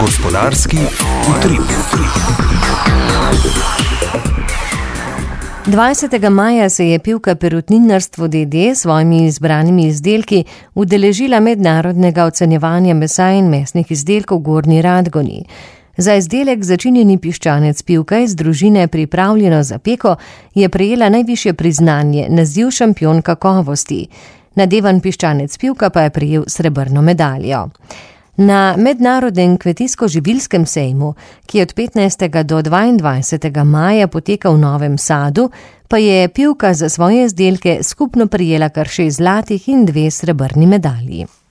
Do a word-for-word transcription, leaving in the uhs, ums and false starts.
Gospodarski utrip. dvajsetega maja se je Pivka Perutninarstvo d. d. s svojimi izbranimi izdelki udeležila mednarodnega ocenjevanja mesa in mesnih izdelkov v Gornji Radgoni. Za izdelek začinjeni piščanec Pivka iz družine Pripravljeno za peko je prejela najvišje priznanje, naziv šampion kakovosti. Nadevan piščanec Pivka pa je prejel srebrno medaljo. Na mednarodnem kmetijsko-živilskem sejmu, ki je od petnajstega do dvaindvajsetega maja poteka v Novem Sadu, pa je Pivka za svoje izdelke skupno prejela kar šest zlatih in dve srebrni medalji.